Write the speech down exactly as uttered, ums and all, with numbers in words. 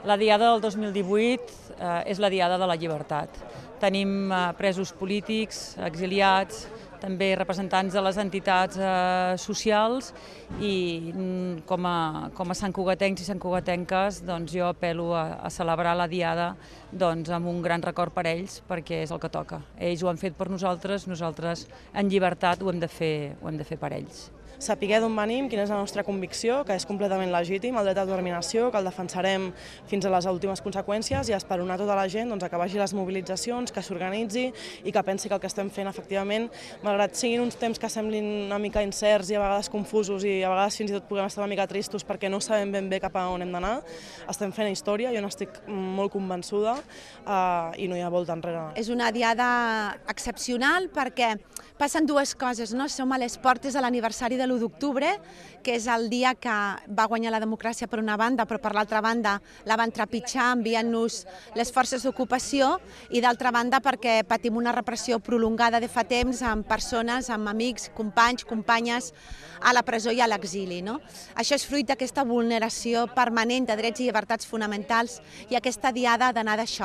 La Diada del dos mil divuit eh, és la Diada de la Llibertat. Tenim eh, presos polítics, exiliats, també representants de les entitats eh, socials i mm, com a, com a santcugatencs i santcugatenques doncs jo apel·lo a, a celebrar la Diada doncs, amb un gran record per ells perquè és el que toca. Ells ho han fet per nosaltres, nosaltres en llibertat ho hem de fer, ho hem de fer per ells. Sapiguer d'on venim, quina és la nostra convicció, que és completament legítim, el dret a determinació, que el defensarem fins a les últimes conseqüències i esperonar tota la gent doncs, que vagi a les mobilitzacions, que s'organitzi i que pensi que el que estem fent, efectivament, malgrat siguin uns temps que semblin una mica incerts i a vegades confusos i a vegades fins i tot puguem estar una mica tristos perquè no sabem ben bé cap a on hem d'anar, estem fent història, jo n'estic molt convençuda eh, i no hi ha volta enrere. És una diada excepcional perquè passen dues coses, no? Som a les portes de l'aniversari de l'u d'octubre, que és el dia que va guanyar la democràcia per una banda, però per l'altra banda la van trepitjar enviant-nos les forces d'ocupació i d'altra banda perquè patim una repressió prolongada de fa temps amb persones, amb amics, companys, companyes a la presó i a l'exili. No? Això és fruit d'aquesta vulneració permanent de drets i llibertats fonamentals i aquesta diada ha d'anar d'això.